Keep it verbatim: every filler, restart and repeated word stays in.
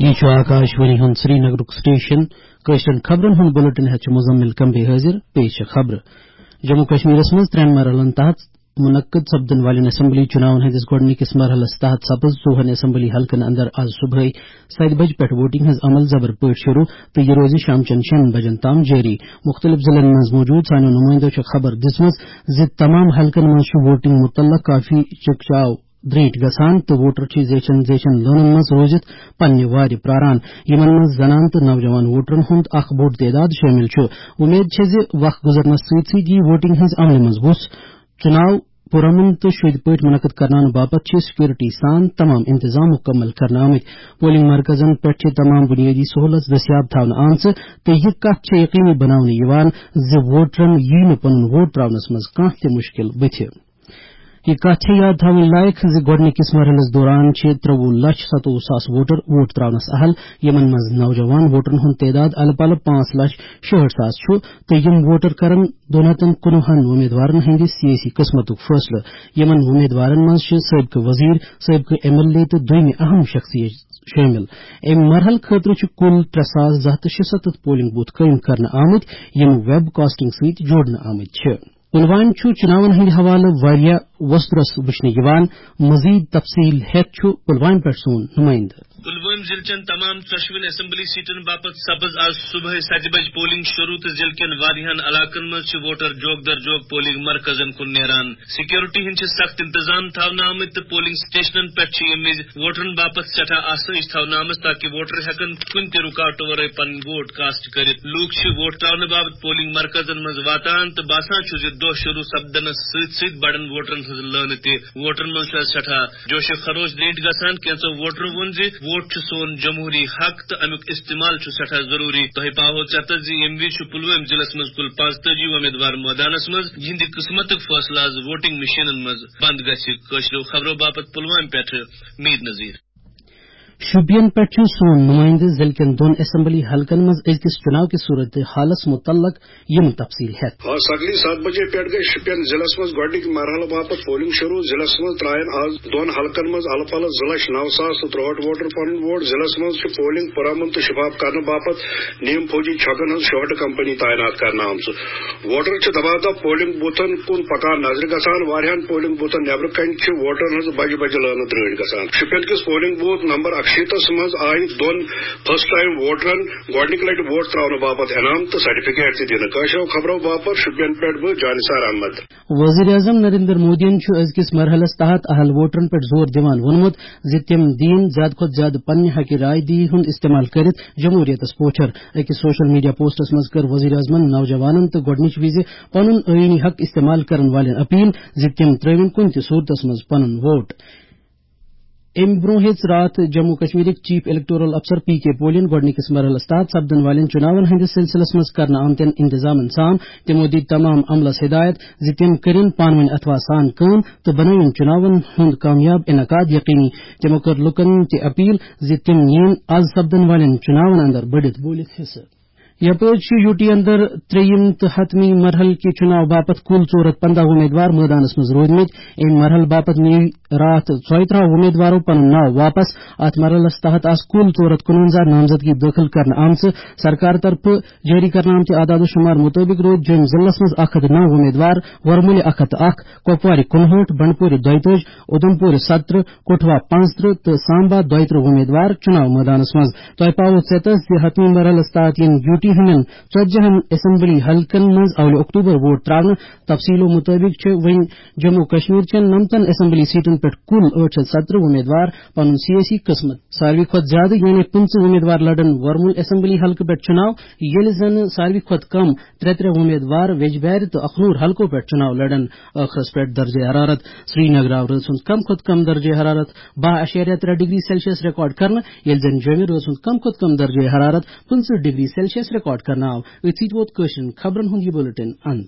یہِ چھُ آکاش وانی ہُنٛد سرینگرُک سٹیشن۔ کٲشرٮ۪ن خبرن ہُنٛد بُلٹن ہٮ۪تھ چھُ مزمل کمبے حٲضِر۔ پیش چھےٚ خبرٕ۔ جموں کشمیرس منٛز ترٛٮ۪ن مرحلن تحت منعقد سپدن والٮ۪ن اسمبلی چُناون ہٕنٛدِس گۄڈٕنِکِس مرحلس تحت سپٕز ژووُہن اسمبلی حلقن اندر از صبحٲے ستہِ بجہِ پٮ۪ٹھ ووٹنگ ہٕنٛز عمل زبر پٲٹھۍ شروع تہٕ یہِ روزِ شام چٮ۪ن شٮ۪ن بجن تام جٲری۔ مُختٔلِف ضلعن منٛز موٗجوٗد سانٮ۪و نُمٲیندو چھےٚ خبر دِژمٕژ زِ تمام حلقن منٛز چھُ ووٹنگ مُتعلق کافی چکچاو درینٹھۍ گژھان تہٕ ووٹر چھِ زیچھن زیچھن لٲنن منٛز روٗزِتھ پننہِ وارِ پراران، یِمن منٛز زنان تہٕ نوجوان ووٹرن ہُنٛد اکھ بوٚڑ تعداد شٲمِل چھُ۔ وۄمید چھےٚ زِ وق گُزرنس سۭتۍ سۭتۍ یِیہِ ووٹنگ ہٕنٛزِ عملہِ منٛز وُژھ۔ چُناو پُرامن تہٕ شوٚدۍ پٲٹھۍ منعقد کرناونہٕ باپتھ چھِ سیکورٹی سان تمام انتظام مُکمل کرنہٕ آمٕتۍ۔ پولنگ مرکزن پٮ۪ٹھ چھِ تمام بُنیٲدی سہوٗلژ دٔستیاب تھاونہٕ آمژٕ تہٕ یہِ کتھ چھےٚ یقینی بناونہٕ یِوان زِ ووٹرن یِیہِ نہٕ پنُن ووٹ تراونس منٛز کانٛہہ تہِ مُشکل بُتھِ۔ یہِ کتھ چھےٚ یاد تھاوٕنۍ لایق زِ گۄڈٕنِکِس مرحلس دوران چھِ ترٛوُہ لچھ ستووُہ ساس ووٹر ووٹ تراونس اہل، یِمن منٛز نوجوان ووٹرن ہُنٛد تعداد الہٕ پلہٕ پانٛژھ لچھ شُہٲٹھ ساس چھُ تہٕ یِم ووٹر کرن دُنہتن کُنوُہن وۄمیدوارن ہٕنٛدِ سیٲسی قٕسمتُک فٲصلہٕ۔ یِمن وۄمیدوارن منٛز چھِ سٲبقہٕ وزیر، سٲبقہٕ ایم ایل اے تہٕ دوٚیمہِ اہم شخصیت شٲمِل۔ اَمہِ مرحلہٕ خٲطرٕ چھِ کُل ترٛےٚ ساس زٕ ہتھ تہٕ شُسَتتھ پولنگ بوتھ قٲیِم کرنہٕ آمٕتۍ، یِم ویب کاسٹنگ سۭتۍ جوڑنہٕ آمٕتۍ چھِ۔ پلوامہ چھُ چُناون ہٕنٛدِ حوالہٕ واریاہ وۄسترس وٕچھنہٕ یِوان۔ مزید تفصیل ہٮ۪تھ چھُ پلوامہ پٮ۪ٹھ سون نُمٲیندٕ۔ پلوامہ ضلع چٮ۪ن تمام ژۄشوٕنی اسمبلی سیٹن باپتھ سپٕز آز صبحٲے ستہِ بجہِ پولنگ شروع تہٕ ضلع کٮ۪ن واریاہن علاقن منٛز چھِ ووٹر جوک در جوک پولنگ مرکزن کُن نیران۔ سیکورٹی ہٕنٛدۍ چھِ سخت انتظام تھاونہٕ آمٕتۍ تہٕ پولنگ سٹیشنن پٮ۪ٹھ چھِ ییٚمہِ وِزِ ووٹرن باپتھ سٮ۪ٹھاہ آسٲیِش تھاونہٕ آمٕژ تاکہِ ووٹر ہٮ۪کن کُنہِ تہِ رُکاوٹہٕ ورٲے پنٕنۍ ووٹ کاسٹ کٔرِتھ۔ لوٗکھ چھِ ووٹ تراونہٕ باپتھ پولنگ مرکزن منٛز واتان تہٕ باسان چھُ زِ دۄہ شروع سپدنس سۭتۍ سۭتۍ بڑن ووٹرن ہٕنٛز لٲنہٕ تہِ۔ ووٹرن منٛز چھُ از سٮ۪ٹھاہ جوش و خروش درینٹھۍ گژھان۔ کینٛژو ووٹرو ووٚن زِ ووٹ چھُ سون جمہوری حق تہٕ امیُک استعمال چھُ سٮ۪ٹھاہ ضروٗری۔ تۄہہِ پاوہو ژٮ۪تس زِ ییٚمہِ وِزِ چھُ پلوٲمۍ ضلعس منٛز کُل پانٛژتٲجی وۄمیدوار مٲدانس منٛز، یِہنٛدِ قٕسمتُک فٲصلہٕ از ووٹنگ مشینن منٛز بند گژھِ۔ کٲشرٮ۪و خبرو باپتھ پلوامہ پٮ۪ٹھٕ میر نذیر۔ شوپین پٮ۪ٹھ چھُ سون نُمٲیندٕ ضلع کٮ۪ن دۄن اسمبلی حلقن منٛز أزکِس چُناو کِس صورت حالس مُتعلق یِم تفصیل ہٮ۪تھ۔ آز سگلی ستھ بجے پٮ۪ٹھ گٔے شُپین ضلعس منٛز گۄڈٕنِکۍ مرحلہٕ باپتھ پولنگ شروع۔ ضلعس منٛز ترٛایَن آز دۄن حلقن منٛز الہٕ پلہٕ زٕ لچھ نو ساس تہٕ ترٛہٲٹھ ووٹر پنُن ووٹ۔ ضلعس منٛز چھِ پولنگ پُرامن تہٕ شفاف کرنہٕ باپتھ نیم فوجی چھۄکن ہٕنٛز شُہٲٹھ کمپنی تعینات کرنہٕ آمژٕ۔ ووٹر چھِ دبادب پولنگ بوتھن کُن پکان نظرِ گژھان۔ واریاہن پولنگ بوتھن نیبرٕ کنہِ چھِ ووٹرن ہٕنٛز بجہِ بجہِ لٲنہٕ درٲنۍ گژھان۔ شُپین کِس پولنگ بوتھ نمبر اکشیٖتس منٛز آیہِ دۄن فرسٹ ٹائم ووٹرن گۄڈٕنِکہِ لٹہِ ووٹ تراونہٕ باپتھ انعام تہٕ سرٹیفکیٹ تہِ دِنہٕ۔ کٲشرٮ۪و خبرو باپتھ شُپین پٮ۪ٹھ بہٕ جانثار احمد۔ وزیر اعظم نریندر مودیَن چھُ أزکِس مرحلَس تحت اہل ووٹرَن پٮ۪ٹھ زور دِوان ووٚنمُت زِ تِم دِیِن زیادٕ کھۄتہٕ زیادٕ پننہِ حقہِ رائے دہی ہُنٛد استعمال کٔرِتھ جمہوریتَس پوچھر۔ أکِس سوشل میڈیا پوسٹَس منٛز کٔر وزیر اعظمَن نوجوانَن تہٕ گۄڈٕنِچ وِزِ پنُن آئینی حق استعمال کرن والٮ۪ن اپیل زِ تِم ترٲوِن کُنہِ تہِ صورتَس منٛز پنُن ووٹ۔ امہِ برونٛہہ ہیٚژ راتھ جموں کشمیرٕکۍ چیف الیکٹورل افسر پی کے پولین گۄڈٕنِکِس مرحلَس تحت سپدن والٮ۪ن چُناون ہٕنٛدِس سلسلس منٛز کرنہٕ آمتٮ۪ن انتظامن سام۔ تِمو دِتۍ تمام عملس ہدایت زِ تِم کٔرِن پانہٕ ؤنۍ اتھوہ سان کٲم تہٕ بنٲوِن چُناون ہُنٛد کامیاب انعقاد یقینی۔ تِمو کٔر لوٗکن تہِ اپیل زِ تِم نِیِن از سپدن والٮ۪ن چُناون اندر بٔڑِتھ بوٗلِتھ حصہٕ۔ یپٲرۍ چھِ یوٗ ٹی اندر ترٛیٚیِم تہٕ حتمی مرحلہٕ کہِ چُناو باپتھ کُل ژور ہتھ پنٛداہ وۄمیدوار مٲدانس منٛز روٗدمٕتۍ۔ امہِ مرحلہٕ باپتھ نِیہِ راتھ ژۄیہِ ترٕٛہ وۄمیدوارو پنُن ناو واپس۔ اتھ مرحلس تحت آسہٕ کُل ژور ہتھ کُنونزہ نامزدگی دٲخل کرنہٕ آمژٕ۔ سرکار طرفہٕ جٲری کرنہٕ آمتہِ اعداد و شمار مُطٲبِق روٗدۍ جوٚمۍ ضلعس منٛز اکھ ہتھ نو وۄمیدوار، ورمُلہِ اکھ ہتھ تہٕ اکھ، کۄپوارِ کُنہٲٹھ، بنڈپورِ دۄیہِ تٲجۍ، اُدھمپورِ ستترٕٛہ، کٹھوا پانٛژترٕٛہ تہٕ سامبا دۄیہِ ترٕٛہ وۄمیدوار چُناو مٲدانس منٛز۔ تۄہہِ پاوو ژیتس زِ حتمی مرحلس تحت یِن یوٗ ٹی ہٕنٛدٮ۪ن ژتجی ہن اسمبلی حلقن منٛز اولہِ اکتوبر ووٹ تراونہٕ۔ تفصیلو مُطٲبِق چھِ وۄنۍ جموں کشمیر چٮ۪ن نمتن اسمبلی سیٹن پٮ۪ٹھ کُل ٲٹھ شیٚتھ ستترٕٛہ وۄمیدوار پنُن سیٲسی قٕسمت۔ ساروی کھۄتہٕ زیادٕ یعنی پٕنٛژٕہ وۄمیدوار لڑن ورمُل اسمبلی حلقہٕ پٮ۪ٹھ چُناو، ییٚلہِ زن ساروی کھۄتہٕ کم ترٛےٚ ترٛےٚ وۄمیدوار ویجبیارِ تہٕ اخنور حلقو پٮ۪ٹھ چُناو لڑن۔ ٲخرس پٮ۪ٹھ درجہ حرارت۔ سرینگر آو رٲژ ہُنٛد کم کھۄتہٕ کم درجہ حرارت باہ اعشاریہ ترٛےٚ ڈگری سیلسیس ریکارڈ کرنہٕ، ییٚلہِ زن جوٚمہِ رٲژ ہُنٛد کم کھۄتہٕ کم درجہ حرارت پٕنٛژٕہ ڈگری سیلسیس ریکارڈ کرنہٕ آو۔ أتھۍ سۭتۍ ووت کٲشرٮ۪ن خبرن ہُنٛد یہِ بُلٹن اند۔